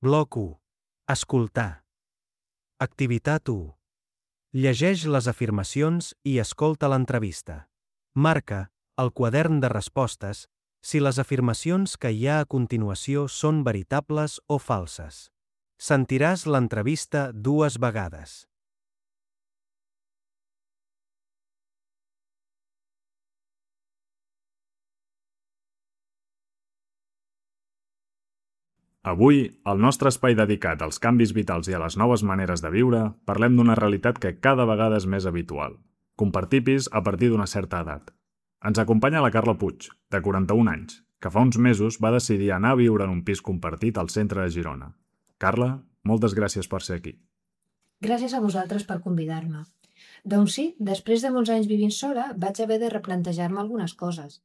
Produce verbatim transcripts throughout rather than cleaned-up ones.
Bloc u. Escoltar. Activitat u. Llegeix les afirmacions i escolta l'entrevista. Marca, al quadern de respostes, si les afirmacions que hi ha a continuació són veritables o falses. Sentiràs l'entrevista dues vegades. Avui, al nostre espai dedicat als canvis vitals i a les noves maneres de viure, parlem d'una realitat que cada vegada és més habitual. Compartir pis a partir d'una certa edat. Ens acompanya la Carla Puig, de quaranta-un anys, que fa uns mesos va decidir anar a viure en un pis compartit al centre de Girona. Carla, moltes gràcies per ser aquí. Gràcies a vosaltres per convidar-me. Doncs sí, després de molts anys vivint sola, vaig haver de replantejar-me algunes coses.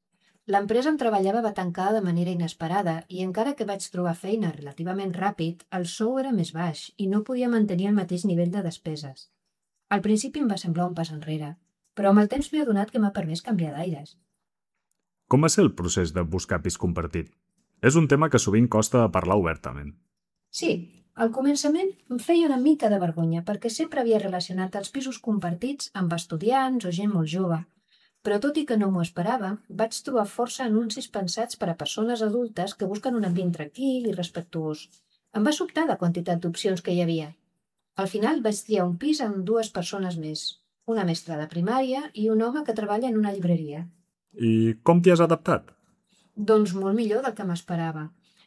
L'empresa on treballava va tancar de manera inesperada i encara que vaig trobar feina relativament ràpid, el sou era més baix i no podia mantenir el mateix nivell de despeses. Al principi em va semblar un pas enrere, però amb el temps m'he adonat que m'ha permès canviar d'aires. Com va ser el procés de buscar pis compartit? És un tema que sovint costa de parlar obertament. Sí, al començament em feia una mica de vergonya perquè sempre havia relacionat els pisos compartits amb estudiants o gent molt jove. Però tot i que no m'ho esperava, vaig trobar força anuncis pensats per a persones adultes que busquen un ambient tranquil i respectuós. Em va sobtar la quantitat d'opcions que hi havia. Al final vaig triar un pis amb dues persones més, una mestra de primària i un home que treballa en una llibreria. I com t'hi has adaptat? Doncs molt millor del que m'esperava.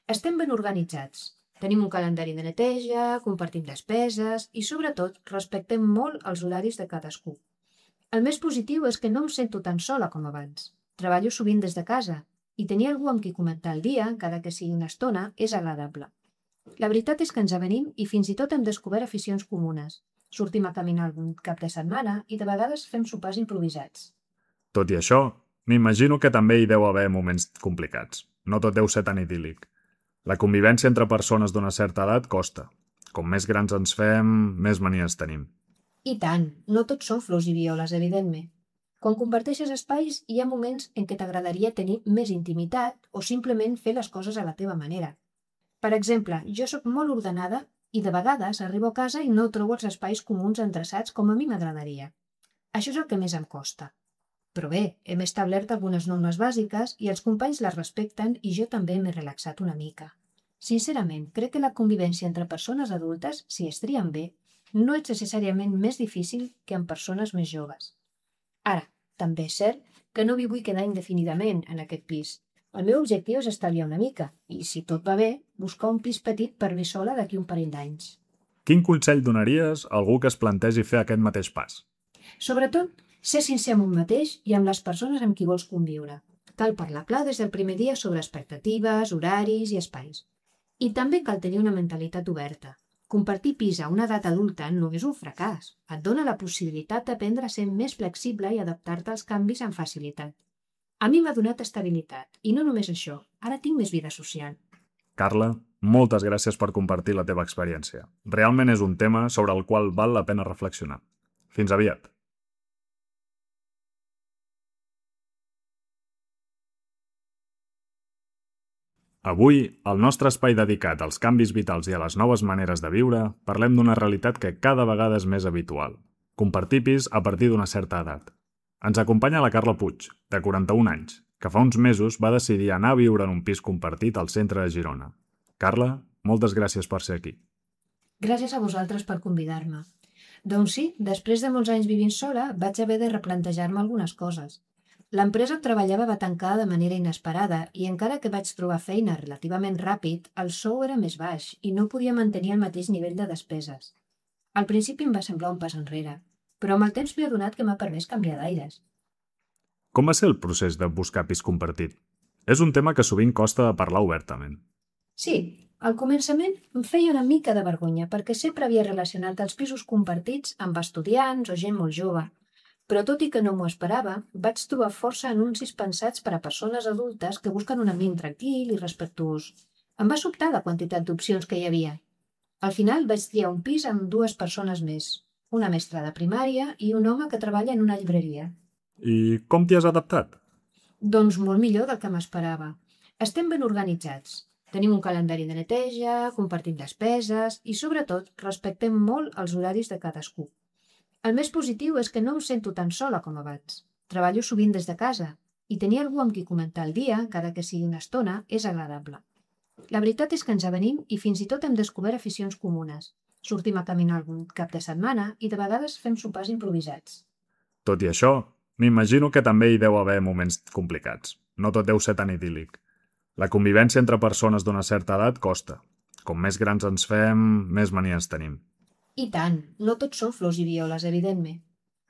Estem ben organitzats. Tenim un calendari de neteja, compartim despeses i, sobretot, respectem molt els horaris de cadascú. El més positiu és que no em sento tan sola com abans. Treballo sovint des de casa i tenir algú amb qui comentar el dia, encara que sigui una estona, és agradable. La veritat és que ens avenim i fins i tot hem descobert aficions comunes. Sortim a caminar algun cap de setmana i de vegades fem sopars improvisats. Tot i això, m'imagino que també hi deu haver moments complicats. No tot deu ser tan idíl·lic. La convivència entre persones d'una certa edat costa. Com més grans ens fem, més manies tenim. I tant, no tots són flors i violes, evidentment. Quan comparteixes espais, hi ha moments en què t'agradaria tenir més intimitat o simplement fer les coses a la teva manera. Per exemple, jo sóc molt ordenada i de vegades arribo a casa i no trobo els espais comuns endreçats com a mi m'agradaria. Això és el que més em costa. Però bé, hem establert algunes normes bàsiques i els companys les respecten i jo també m'he relaxat una mica. Sincerament, crec que la convivència entre persones adultes, si es trien bé, no és necessàriament més difícil que amb persones més joves. Ara, també és cert que no m'hi vull quedar indefinidament en aquest pis. El meu objectiu és estalviar una mica i, si tot va bé, buscar un pis petit per viure sola d'aquí un parell d'anys. Quin consell donaries a algú que es plantegi fer aquest mateix pas? Sobretot, ser sincer amb un mateix i amb les persones amb qui vols conviure. Cal parlar clar des del primer dia sobre expectatives, horaris i espais. I també cal tenir una mentalitat oberta. Compartir pis a una edat adulta no és un fracàs. Et dona la possibilitat d'aprendre a ser més flexible i adaptar-te als canvis amb facilitat. A mi m'ha donat estabilitat, i no només això, ara tinc més vida social. Carla, moltes gràcies per compartir la teva experiència. Realment és un tema sobre el qual val la pena reflexionar. Fins aviat. Avui, al nostre espai dedicat als canvis vitals i a les noves maneres de viure, parlem d'una realitat que cada vegada és més habitual. Compartir pis a partir d'una certa edat. Ens acompanya la Carla Puig, de quaranta-un anys, que fa uns mesos va decidir anar a viure en un pis compartit al centre de Girona. Carla, moltes gràcies per ser aquí. Gràcies a vosaltres per convidar-me. Doncs sí, després de molts anys vivint sola, vaig haver de replantejar-me algunes coses. L'empresa on treballava va tancar de manera inesperada i encara que vaig trobar feina relativament ràpid, el sou era més baix i no podia mantenir el mateix nivell de despeses. Al principi em va semblar un pas enrere, però amb el temps m'he adonat que m'ha permès canviar d'aires. Com va ser el procés de buscar pis compartit? És un tema que sovint costa de parlar obertament. Sí, al començament em feia una mica de vergonya perquè sempre havia relacionat els pisos compartits amb estudiants o gent molt jove. Però tot i que no m'ho esperava, vaig trobar força anuncis pensats per a persones adultes que busquen un ambient tranquil i respectuós. Em va sobtar la quantitat d'opcions que hi havia. Al final vaig triar un pis amb dues persones més, una mestra de primària i un home que treballa en una llibreria. I com t'hi has adaptat? Doncs molt millor del que m'esperava. Estem ben organitzats. Tenim un calendari de neteja, compartim despeses i, sobretot, respectem molt els horaris de cadascú. El més positiu és que no em sento tan sola com abans. Treballo sovint des de casa i tenir algú amb qui comentar el dia, encara que sigui una estona, és agradable. La veritat és que ens avenim i fins i tot hem descobert aficions comunes. Sortim a caminar algun cap de setmana i de vegades fem sopars improvisats. Tot i això, m'imagino que també hi deu haver moments complicats. No tot deu ser tan idíl·lic. La convivència entre persones d'una certa edat costa. Com més grans ens fem, més manies tenim. I tant, no tots són flors i violes, evidentment.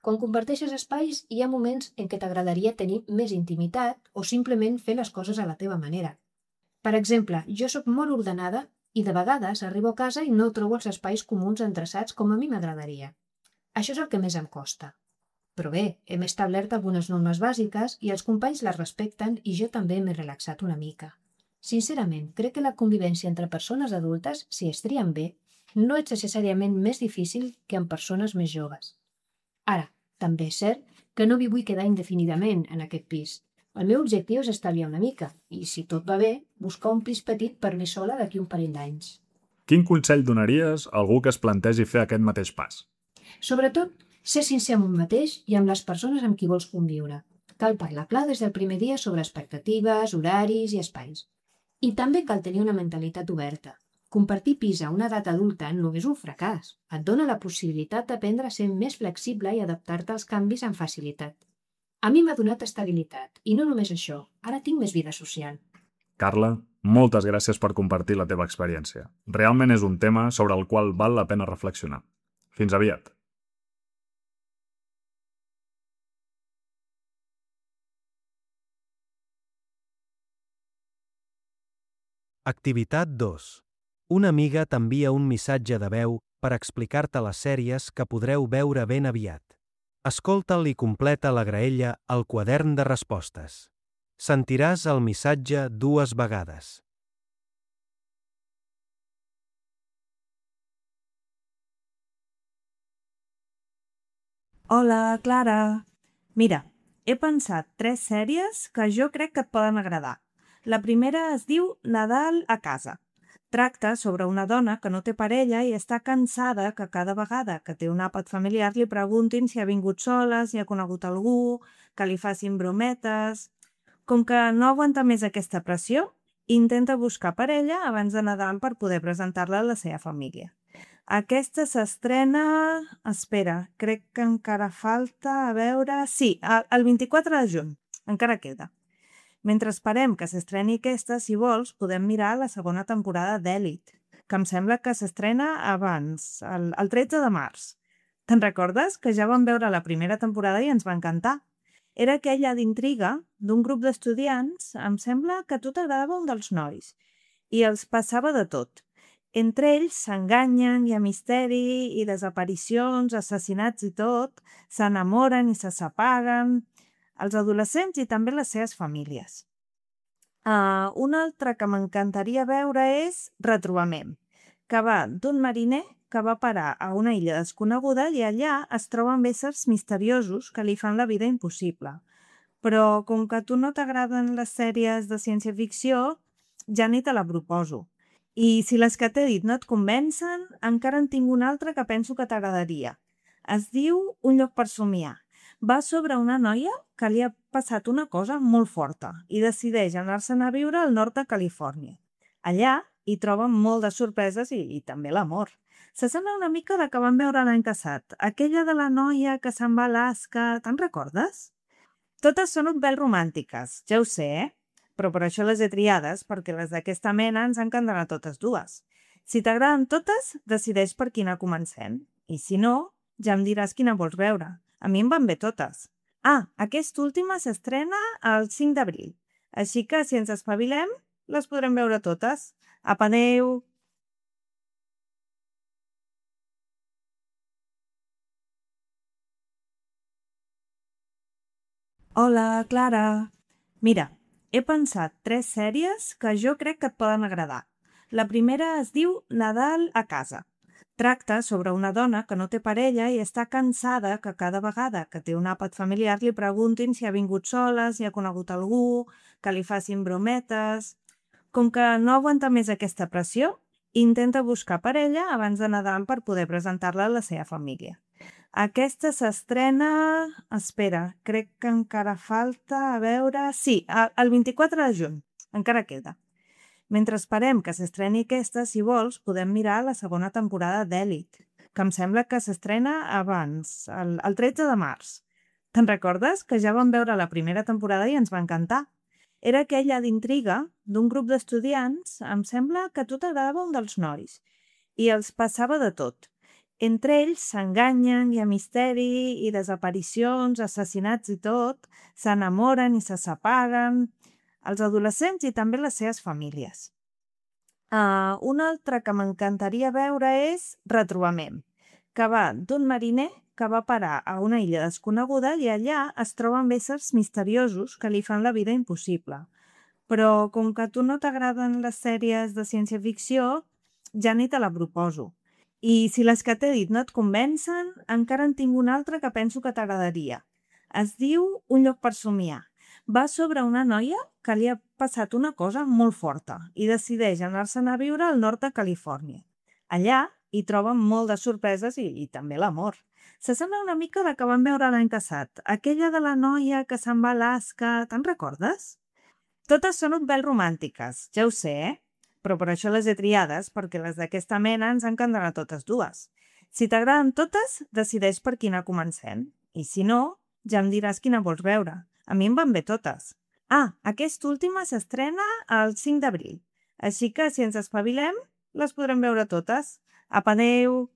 Quan comparteixes espais, hi ha moments en què t'agradaria tenir més intimitat o simplement fer les coses a la teva manera. Per exemple, jo sóc molt ordenada i de vegades arribo a casa i no trobo els espais comuns endreçats com a mi m'agradaria. Això és el que més em costa. Però bé, hem establert algunes normes bàsiques i els companys les respecten i jo també m'he relaxat una mica. Sincerament, crec que la convivència entre persones adultes, si es trien bé, no és necessàriament més difícil que amb persones més joves. Ara, també és cert que no m'hi vull quedar indefinidament en aquest pis. El meu objectiu és estalviar una mica i, si tot va bé, buscar un pis petit per mi sola d'aquí un parell d'anys. Quin consell donaries a algú que es plantegi fer aquest mateix pas? Sobretot, ser sincer amb un mateix i amb les persones amb qui vols conviure. Cal parlar clar des del primer dia sobre expectatives, horaris i espais. I també cal tenir una mentalitat oberta. Compartir pis a una edat adulta no és un fracàs. Et dona la possibilitat d'aprendre a ser més flexible i adaptar-te als canvis amb facilitat. A mi m'ha donat estabilitat, i no només això, ara tinc més vida social. Carla, moltes gràcies per compartir la teva experiència. Realment és un tema sobre el qual val la pena reflexionar. Fins aviat. Activitat dos. Una amiga t'envia un missatge de veu per explicar-te les sèries que podreu veure ben aviat. Escolta'l i completa la graella al quadern de respostes. Sentiràs el missatge dues vegades. Hola, Clara. Mira, he pensat tres sèries que jo crec que et poden agradar. La primera es diu Nadal a casa. Tracta sobre una dona que no té parella i està cansada que cada vegada que té un àpat familiar li preguntin si ha vingut sola, si ha conegut algú, que li facin brometes. Com que no aguanta més aquesta pressió, intenta buscar parella abans de Nadal per poder presentar-la a la seva família. Aquesta s'estrena... Espera, crec que encara falta a veure... Sí, el vint-i-quatre de juny. Encara queda. Mentre esperem que s'estreni aquesta, si vols, podem mirar la segona temporada d'Èlit, que em sembla que s'estrena abans, el, el tretze de març. Te'n recordes? Que ja vam veure la primera temporada i ens va encantar. Era aquella d'intriga d'un grup d'estudiants, em sembla que a tu t'agradava un dels nois, i els passava de tot. Entre ells s'enganyen, hi ha misteri i desaparicions, assassinats i tot, s'enamoren i se separen... els adolescents i també les seves famílies. Uh, una altra que m'encantaria veure és Retrobament, que va d'un mariner que va parar a una illa desconeguda i allà es troben éssers misteriosos que li fan la vida impossible. Però com que a tu no t'agraden les sèries de ciència-ficció, ja ni te la proposo. I si les que t'he dit no et convencen, encara en tinc una altra que penso que t'agradaria. Es diu Un lloc per somiar. Va sobre una noia que li ha passat una cosa molt forta i decideix anar-se'n a viure al nord de Califòrnia. Allà hi troben molt de sorpreses i, i també l'amor. S'assembla una mica la que vam veure l'any passat, aquella de la noia que se'n va a Alaska, te'n recordes? Totes són un pèl romàntiques, ja ho sé, eh? Però per això les he triades, perquè les d'aquesta mena ens encanten a totes dues. Si t'agraden totes, decideix per quina comencem. I si no, ja em diràs quina vols veure. A mi em van bé totes. Ah, aquesta última s'estrena el cinc d'abril. Així que, si ens espavilem, les podrem veure totes. Apa, adeu! Hola, Clara. Mira, he pensat tres sèries que jo crec que et poden agradar. La primera es diu Nadal a casa. Tracta sobre una dona que no té parella i està cansada que cada vegada que té un àpat familiar li preguntin si ha vingut sola, si ha conegut algú, que li facin brometes. Com que no aguanta més aquesta pressió, intenta buscar parella abans de Nadal per poder presentar-la a la seva família. Aquesta s'estrena... Espera, crec que encara falta, a veure... Sí, el vint-i-quatre de juny. Encara queda. Mentre esperem que s'estreni aquesta, si vols, podem mirar la segona temporada d'Elite, que em sembla que s'estrena abans, el, el tretze de març. Te'n recordes? Que ja vam veure la primera temporada i ens va encantar. Era aquella d'intriga d'un grup d'estudiants, em sembla que a tu t'agradava un dels nois, i els passava de tot. Entre ells s'enganyen, hi ha misteri i desaparicions, assassinats i tot, s'enamoren i se separen, els adolescents i també les seves famílies. Uh, una altra que m'encantaria veure és Retrobament, que va d'un mariner que va parar a una illa desconeguda i allà es troben éssers misteriosos que li fan la vida impossible. Però com que a tu no t'agraden les sèries de ciència-ficció, ja ni te la proposo. I si les que t'he dit no et convencen, encara en tinc una altra que penso que t'agradaria. Es diu Un lloc per somiar. Va sobre una noia que li ha passat una cosa molt forta i decideix anar-se'n a viure al nord de Califòrnia. Allà hi troben molt de sorpreses i, i també l'amor. S'assembla una mica a la que vam veure l'any passat, aquella de la noia que se'n va a Alaska, te'n recordes? Totes són un pèl romàntiques, ja ho sé, eh? Però per això les he triades, perquè les d'aquesta mena ens encanten a totes dues. Si t'agraden totes, decideix per quina comencem. I si no, ja em diràs quina vols veure. A mi em van bé totes. Ah, aquesta última s'estrena el cinc d'abril. Així que, si ens espavilem, les podrem veure totes. Apa, adeu!